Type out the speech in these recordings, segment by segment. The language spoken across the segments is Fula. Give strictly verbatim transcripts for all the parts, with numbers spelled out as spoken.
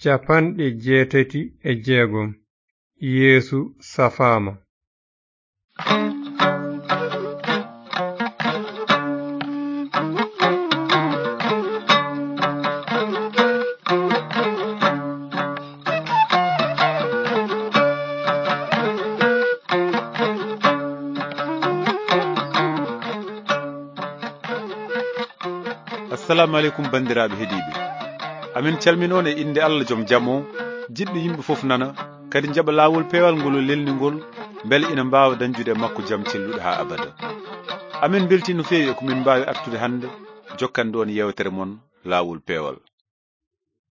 Capanɗe jeetati e jeegom. Yeesu safaama. Assalamu aleykum, banndiraaɓe heɗiiɓe. Amin calmini on e innde Allah, jom jam o, jiɗɗo yimɓe fof nana, kadi njaɓa laawol peewal ngol o lelni ngol, mbele ina mbaawa dañjude e makko jam celluɗo haa abada. Amin mbeltii no feewi e ko min mbaawi artude hannde, jokkande on yeewtere mon, Laawol Peewal.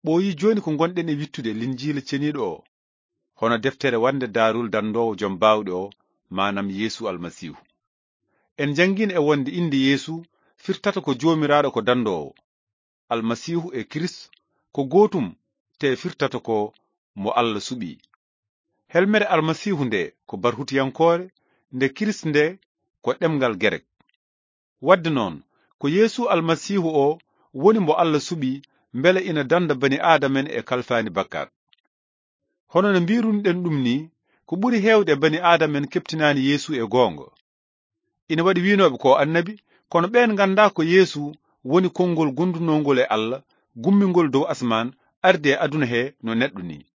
Ɓooyii jooni ko ngonɗen e wittude Linjiila ceniiɗo o, hono deftere wannde daarol danndoowo jom baawɗe o, maanam Yeesu Almasiihu. En njanngiino e wonde innde Yeesu firtata ko Joomiraaɗo ko danndoowo. Almasiihu e Kirist ko gootum, te firtata ko mo Allah suɓii. Helmere Almasiihu nde ko barhutiyankoore, nde Kirist nde ko ɗemngal Gerek. Wadde noon, ko Yeesu Almasiihu o woni mo Allah suɓii mbele ina dannda bani Aadama en e kalfaani bakkaat. Hono no mbiirunoɗen ɗum ni, ko ɓuri heewde e bani Aadama en keɓtinaani Yeesu e goonga. Ina waɗi wiinooɓe ko annabi, kono ɓeen nganndaa ko Yeesu woni konngol gondunoongol e Allah, gummingol dow asmaan, ardi e aduna he no neɗɗo ni.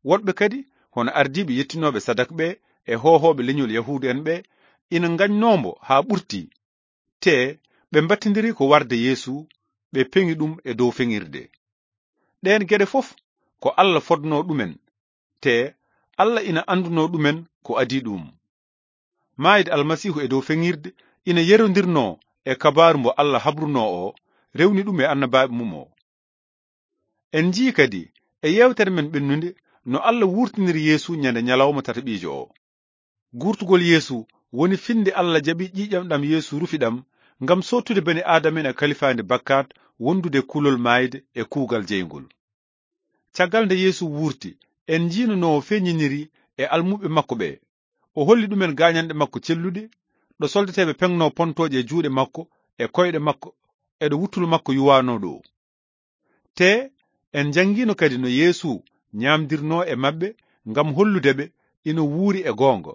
Woɗɓe kadi, hono ardiiɓe yettinooɓe sadak ɓe e hoohooɓe leñol Yahuudu en ɓe, ina ngañnoo mbo haa ɓurti. Te ɓe mbattindiri ko warde Yeesu, ɓe peŋi ɗum e dow feŋirde. Ɗeen geɗe fof ko Allah fodnoo ɗumen, te Allah ina anndunoo ɗumen ko adii ɗum. Maayde Almasiihu e dow feŋirde ina yerondirnoo e kabaaru mbo Allah habrunoo o, rewni ɗum e annabaaɓe mum o. En njii kadi e yeewtere men ɓennunde no Allah wuurtiniri Yeesu ñande ñalawma tataɓiijo o. Guurtugol Yeesu woni finnde Allah jaɓi ƴiiƴam ɗam Yeesu rufi ɗam ngam soottude bani Aadama en e kalifaandi bakkaat wondude kulol maayde e kuugal jeyngol. Caggal nde Yeesu wuurti, en njiino no o feeñiniri e almuɓɓe makko ɓe. O holli ɗumen gaañanɗe makko celluɗe, ɗo soldateeɓe peŋnoo pontooje e juuɗe makko e koyɗe makko, e ɗo wuttulo makko yuwaanoo ɗo. Te en njanngiino kadi no Yeesu ñaamdirnoo e maɓɓe ngam hollude ɓe ina wuuri e goonga.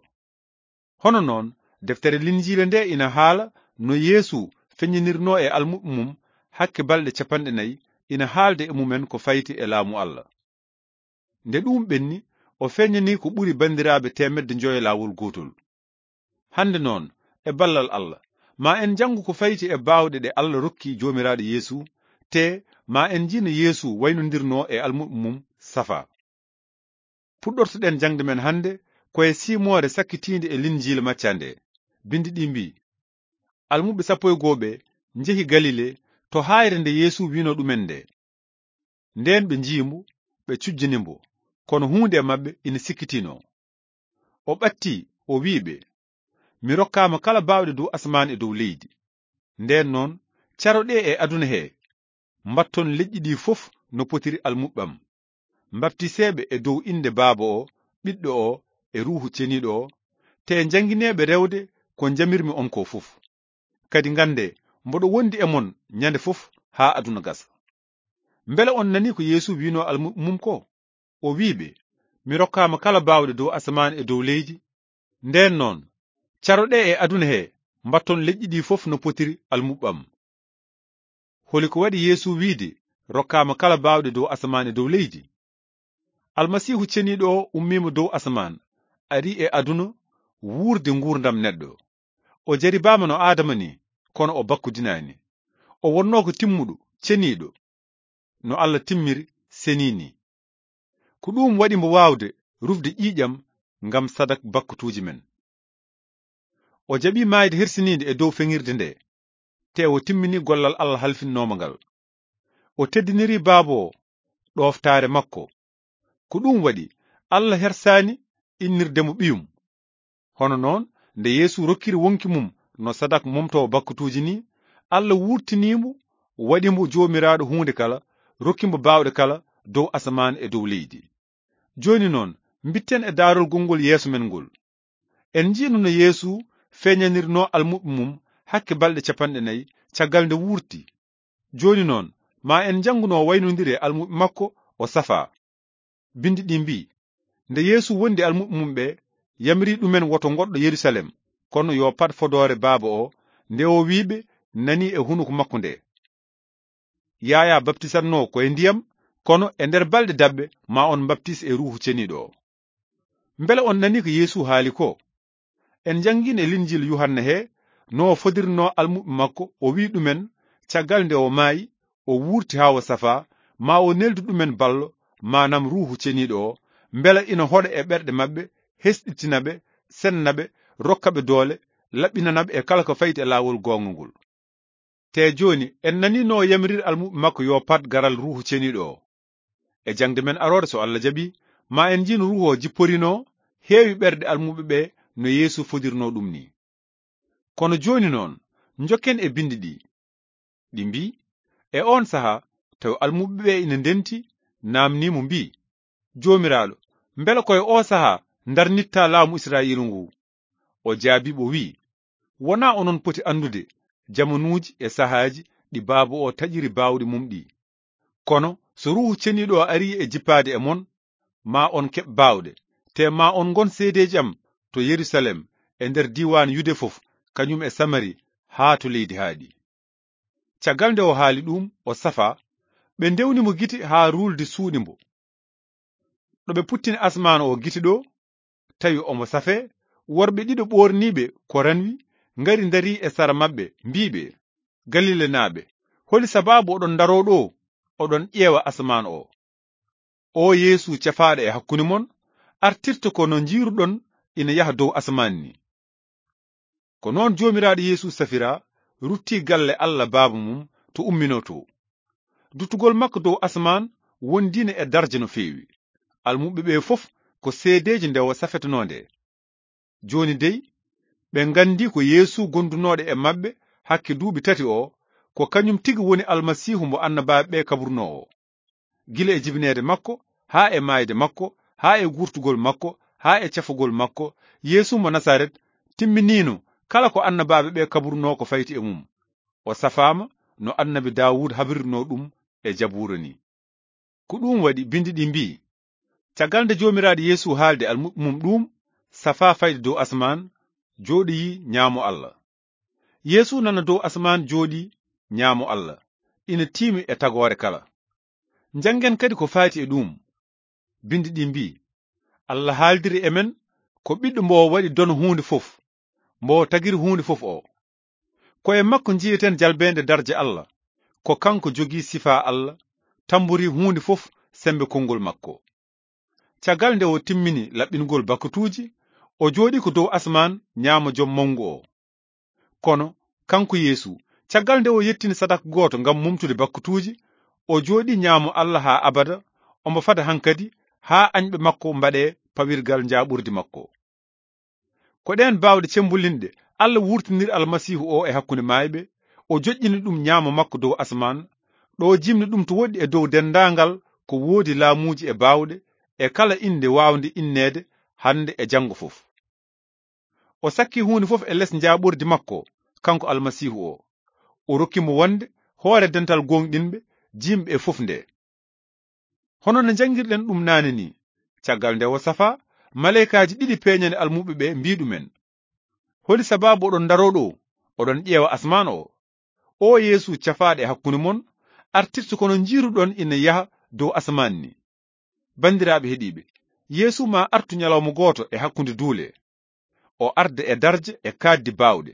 Hono noon, deftere Linjiila nde ina haala no Yeesu feññinirnoo e almuɓɓe mum hakke balɗe capanɗe nayi, ina haalde e mumen ko fayti e laamu Allah. Nde ɗum ɓenni, o feeñani ko ɓuri banndiraaɓe teemedde njoyo laawol gootol. Hannde noon, e ballal Allah, ma en njanngu ko fayti e baawɗe ɗe Allah rokki Joomiraaɗo Yeesu, te ma en njiino Yeesu waynondirnoo e almuɓɓe mum safa. Puɗɗortoɗen jaŋde men hannde ko e siimoore sakkitiinde e Linjiila macca nde. Binndi ɗi mbii, almuɓɓe sappo e goo ɓe njehi Galile to haayre nde Yeesu wiino ɗumen nde. Ndeen ɓe njii mbo, ɓe cujjini mbo, kono huunde e maɓɓe ina sikkitinoo. O ɓattii, o wi'i ɓe, "Mi rokkaama kala baawɗe dow asamaan e dow leydi. Ndeen noon, caroɗee e aduna hee, mbatton leƴƴi ɗi fof no potiri almuɓɓam. Mbaptiseeɓe e dow innde Baaba o, Ɓiɗɗo o, e Ruuhu Ceniiɗo o, te njanngineeɓe rewde ko njamirmi on ko fof. Kadi nganndee, mboɗo wondi e mon ñande fof haa aduna gasa." Mbele on nanii ko Yeesu wiinoo almuɓɓe mum ko? O wi'i ɓe, "Mi rokkaama kala baawɗe dow asamaan e dow leydi. Ndeen noon, caroɗee e aduna hee, mbatton leƴƴi ɗi fof no potiri almuɓɓam." Holi ko waɗi Yeesu wiide, "Rokkaama kala baawɗe dow asamaan e dow leydi"? Almasiihu ceniiɗo o ummiima dow asamaan, ari e aduna, wuurde nguurndam neɗɗo. O jaribaama no Aadama ni, kono o bakkudinaani. O wonnoo ko timmuɗo, ceniiɗo, no Allah timmiri, senii ni. Ko ɗuum waɗi mbo waawde rufde ƴiiƴam ngam sadak bakkutuuji men. O jaɓi maayde hersiniinde e dow feŋirde nde, te o timmini gollal Allah halfinnooma ngal. O teddiniri Baaba o ɗooftaare makko. Ko ɗuum waɗi Allah hersaani innirde mo ɓiyum. Hono noon, nde Yeesu rokkiri wonki mum no sadak momtoowo bakkutuuji ni, Allah wuurtinii mo, waɗi mo Joomiraaɗo huunde kala, rokki mo baawɗe kala dow asamaan e dow leydi. Jooni noon, mbitten e daarol gonngol yeeso men ngol. En njiino no Yeesu feeñanirnoo almuɓɓe mum hakke balɗe capanɗe nayi caggal nde wuurti. Jooni noon, ma en njanngu no o waynondiri e almuɓɓe makko, o safaa. Bindi ɗi mbii, nde Yeesu wondi almuɓɓe mum ɓe, yamiri ɗumen woto ngoɗɗo Yerusalem, kono yo paɗ fodoore Baaba o, nde o wiiɓe nani e hunuko makko nde. Yaayaa baptisatnoo ko e ndiyam, kono e nder balɗe daɓɓe ma on mbaptis e Ruuhu Ceniiɗo o. Mbele on nanii ko Yeesu haali ko? En njanngiino e Linjiil Yuhanna he no o fodirnoo almuɓɓe makko, o wi'i ɗumen, caggal nde o maayi, o wuurti haa o safaa, ma o neldu ɗumen ballo, maanam Ruuhu Ceniiɗo o, mbela ina hoɗa e ɓerɗe maɓɓe, hesɗitina ɓe, senna ɓe, rokka ɓe doole, laɓɓinana ɓe e kala ko fayti e laawol goonga ngol. Te jooni, en nanii no o yamirir almuɓɓe makko yo paat garal Ruuhu Ceniiɗo o. E jaŋde men aroore, so Allah jaɓi, ma en njiin Ruuhu o jipporinoo heewi ɓerɗe almuɓɓe ɓe no Yeesu fodirnoo ɗum ni. Kono jooni noon, njokken e bindi ɗi. Ɗi mbii, e oon sahaa, tawi almuɓɓe ɓe ina ndenti, naamnii mo mbii, Joomiraaɗo, mbela ko e oo sahaa ndarnittaa laamu Israayiila ngu? O jaabii ɓe, o wi'i, wonaa onon poti anndude jamanuuji e sahaaji ɗi Baaba o taƴiri baawɗe mum ɗi. Kono so Ruuhu Ceniiɗo o arii e jippaade e mon, ma on keɓ baawɗe, te ma on ngon seedeeji am to Yerusalem, e nder diiwaan Yude fof, kañum e Samari, haa to leydi haaɗi. Caggal nde o haali ɗum, o safaa, ɓe ndewni mo gite haa ruulde suuɗi mbo. Ɗo ɓe puttini asmaan o gite ɗo, tawi omo safee, worɓe ɗiɗo ɓoorniiɓe ko ranwi ngari ndarii e sara maɓɓe, mbii ɓe, Galilenaaɓe, holi sabaabu oɗon ndaroo ɗo, oɗon ƴeewa asmaan o? O Yeesu cafaaɗo e hakkunde mon, artirta ko no njiiruɗon ina yaha dow asmaan ni. Ko noon Joomiraaɗo Yeesu safiraa, ruttii galle Allah Baaba mum to umminoo to. Duttugol makko dow asmaan wondiino e darja no feewi. Almuɓɓe ɓe fof ko seedeeji nde o safetenoo nde. Jooni dey, ɓe nganndi ko Yeesu gondunooɗo e maɓɓe hakke duuɓi tati o, ko kañum tigi woni Almasiihu mo annabaaɓe ɓe kabrunoo o. Gila e jibineede makko, haa e maayde makko, haa e guurtugol makko, haa e cafugol makko, Yeesu mo Nasaret timminiino kala ko annabaaɓe ɓe kabrunoo ko fayti e mum. O safaama no annabi Daawuud habririnoo ɗum e Jabuura ni. Ko ɗum waɗi bindi ɗi mbii, caggal nde Joomiraaɗo Yeesu haalde almuɓɓe mum ɗum, safaa fayde dow asmaan, jooɗoyii ñaamo Allah. Yeesu nana dow asmaan jooɗii ñaamo Allah, ina tiimi e tagoore kala. Njanngen kadi ko fayti e ɗum. Bindi ɗi mbii, Allah haaldiri e men ko Ɓiɗɗo mbo o waɗi dono huunde fof, mbo o tagiri huunde fof o. Ko e makko njiyeten jalbeende darja Allah, ko kanko jogii sifaa Allah, tammbori huunde fof semmbe konngol makko. Caggal nde o timmini laɓɓingol bakkatuuji, o jooɗii ko dow asmaan ñaamo Jom Mawngu o. Kono kanko Yeesu, caggal nde o yettini sadak gooto ngam mumtude bakkatuuji, o jooɗii ñaamo Allah haa abada, omo fada hankadi haa añɓe makko mbaɗee pawirgal njaaɓurdi makko. Ko ɗeen baawɗe cemmbolinɗe Allah wuurtiniri Almasiihu o e hakkunde maayɓe, o joƴƴini ɗum ñaamo makko dow asmaan, ɗo o jimni ɗum to woɗɗi e dow denndaangal ko woodi laamuuji e baawɗe e kala innde waawnde inneede hannde e janngo fof. O sakki huunde fof e les njaaɓordi makko, kanko Almasiihu o. O rokki mo wonde hoore dental gooŋɗinɓe, jimɓe e fof nde. Hono no njanngirɗen ɗum naane ni, caggal nde o safaa, maleykaaji ɗiɗi peeñani almuɓɓe ɓe, mbii ɗumen, holi sabaabu oɗon ndaroo ɗo, oɗon ƴeewa asmaan o? O Yeesu cafaaɗo e hakkunde mon, artirta ko no njiiruɗon ina yaha dow asmaan ni. Banndiraaɓe heɗiiɓe, Yeesu ma artu ñalawma gooto e hakkunde duule. O arda e darja e kaaddi baawɗe.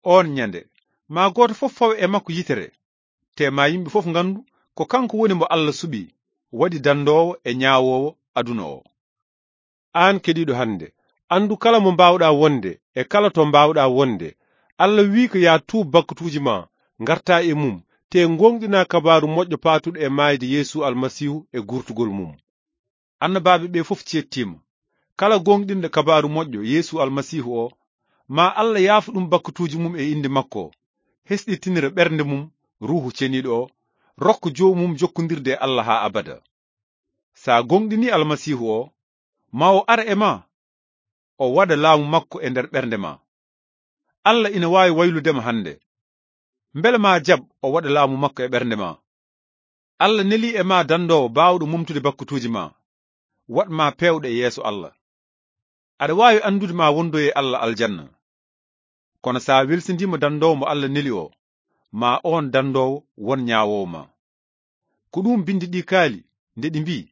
Oon ñande, ma gooto fof fawa e makko yitere, te ma yimɓe fof nganndu ko kanko woni mo Allah suɓi, waɗi danndoowo e ñaawoowo aduna o. Aan keɗiiɗo hannde, anndu kala mo mbaawɗaa wonde e kala to mbaawɗaa wonde. Allah wi'i ko yaa tuub bakkatuuji ma, ngartaa e mum, te ngooŋɗinaa kabaaru moƴƴo paatuɗo e maayde Yeesu Almasiihu e guurtugol mum. Annabaaɓe ɓe fof ceettiima. Kala gooŋɗinɗo kabaaru moƴƴo Yeesu Almasiihu o, ma Allah yaafo ɗum bakkatuuji mum e innde makko, hesɗitinira ɓernde mum Ruuhu Ceniiɗo o, rokka joomum jokkondirde e Allah haa abada. Sa gooŋɗinii Almasiihu o, ma o ara e ma, o waɗa laamu makko e nder ɓernde ma. Allah ina waawi waylude ma hannde. Mbele ma jaɓ o waɗa laamu makko e ɓernde ma? Allah nelii e ma danndoowo baawɗo mumtude bakkatuuji ma. waɗ ma peewɗo e yeeso Allah. Aɗa waawi anndude ma wondoye Allah aljanna. Kono sa welsindiima dandoowo mo Allah neli o, ma oon dandoowo won ñaawoowo ma. Ko ɗum bindi ɗi kaali nde ɗi mbii,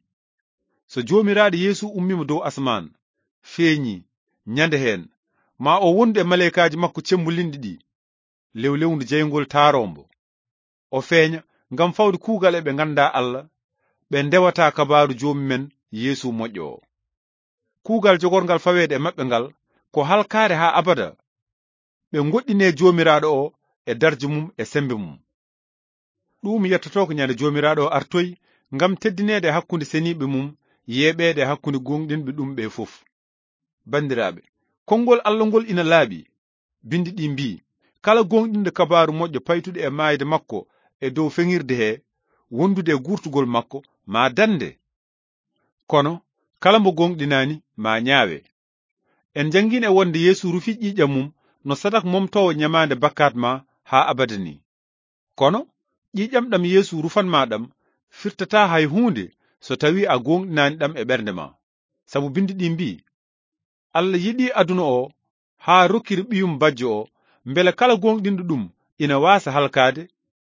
so Joomiraaɗo Yeesu ummiima dow asmaan, feeñi, ñande heen, ma o wondu e maleykaaji makko cemmbulinɗi ɗi, lewlewndu jeyngol taaroombo. O feeña ngam fawde kuugal e ɓe nganndaa Allah, ɓe ndewata kabaaru Joomi men Yeesu moƴƴo o. Kuugal jogorngal faweede e maɓɓe ngal ko halkaare haa abada. Ɓe ngoɗɗine Joomiraaɗo o e darje mum e semmbe mum. Ɗum yettoto ko ñande Joomiraaɗo o artoy ngam teddineede e hakkunde seniiɓe mum, yeeɓeede e hakkunde gooŋɗinɓe ɗum ɓe fof. Banndiraaɓe, konngol Allah ngol ina laaɓi. Bindi ɗi mbii, kala gooŋɗinɗo kabaaru moƴƴo paytuɗo e maayde makko e dow feŋirde he, wondude e guurtugol makko, ma dande. Kono kala mo gooŋɗinaani, ma ñaawe. En njanngiino e wonde Yeesu rufi ƴiiƴam mum no sadak momtoowo ñamaande bakkaat ma haa abada ni. Kono ƴiiƴam ɗam Yeesu rufan ma ɗam firtataa hay huunde so tawii a gooŋɗinaani ɗam e ɓernde ma. Sabu bindi ɗi mbii, Allah yiɗi aduna o haa rokkiri ɓiyum bajjo o, mbele kala gooŋɗinɗo ɗum ina waasa halkaade,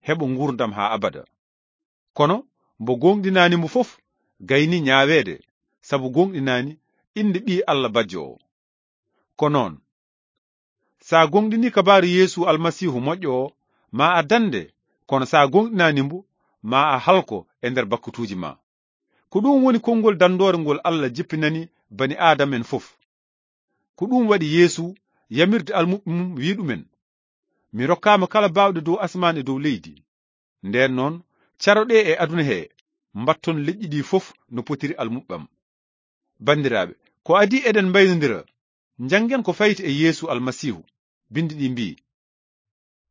heɓa nguurndam haa abada. Kono mbo gooŋɗinaani mo fof gayni ñaaweede, sabu gooŋɗinaani innde Ɓii Allah bajjo o. Ko noon, sa gooŋɗini kabaaru Yeesu Almasiihu moƴƴo o, ma a dande, kono sa gooŋɗinaani mbo, ma a halko e nder bakkutuuji ma. Ko ɗum woni konngol dandoore ngol Allah jippinani bani Aadama en fof. Ko ɗum waɗi Yeesu yamirde almuɓɓe mum, wi ɗumen, mi rokkaama kala baawɗe dow asmaan e dow leydi. Ndeen noon, caroɗee e aduna he, mbatton leƴƴi ɗi fof no potiri almuɓɓam. Banndiraaɓe, ko adii eɗen mbaynondira, njanngen ko fayti e Yeesu Almasiihu. Bindi ɗi mbii,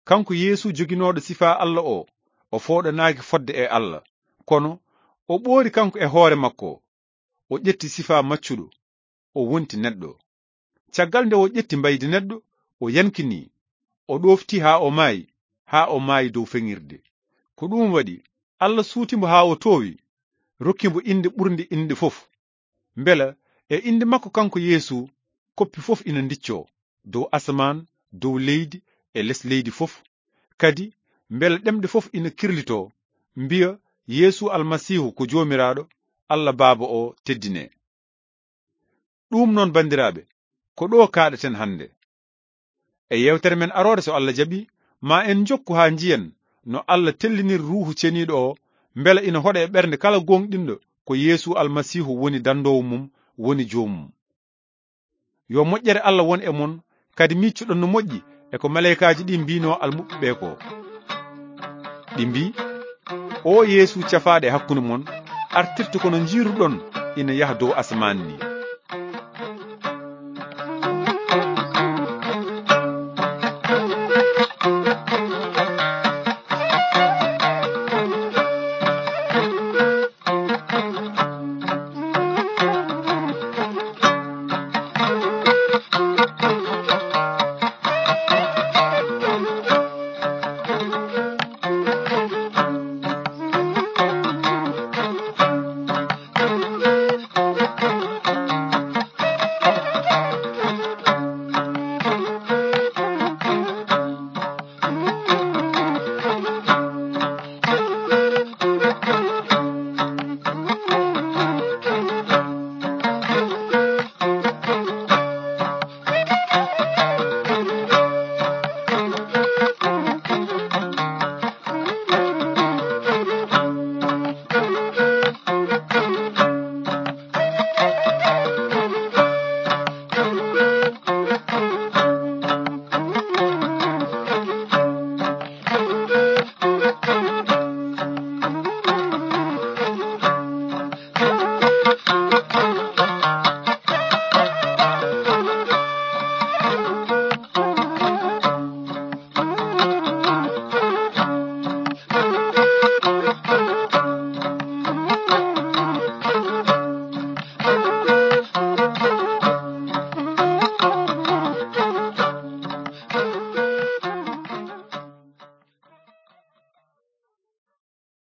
kanko Yeesu joginooɗo sifaa Allah o, o fooɗanaaki fodde e Allah, kono o ɓoori kanko e hoore makko, o ƴetti sifaa maccuɗo, o wonti neɗɗo. Caggal nde o ƴetti mbaydi neɗɗo, o yankini, o ɗoofti haa o maayi, haa o maayi dow feŋirde. Ko ɗum waɗi, Allah suuti mbo haa o toowi, rokki mbo innde ɓurnde innde fof. Mbela e innde makko kanko Yeesu, koppi fof ina ndiccoo, dow asamaan, dow leydi, e les leydi fof. Kadi, mbela ɗemɗe fof ina kirlitoo, mbiya Yeesu Almasiihu ko Joomiraaɗo, Allah Baaba o teddinee. Ɗum noon, banndiraaɓe, ko ɗo kaaɗaten hannde. E yeewtere men aroore, so Allah jaɓi, ma en njokku haa njiyen no Allah telliniri Ruuhu Ceniiɗo o, mbela ina hoɗa e ɓernde kala gooŋɗinɗo ko Yeesu Almasiihu woni dandoowo mum, woni joomum. Yo moƴƴere Allah won e mon, kadi miccuɗon no moƴƴi e ko maleykaaji ɗi mbiinoo almuɓɓe ɓe ko. Ɗi mbii, o Yeesu cafaaɗo e hakkunde mon, artirta kono njiiruɗon ina yaha dow asamaan ni.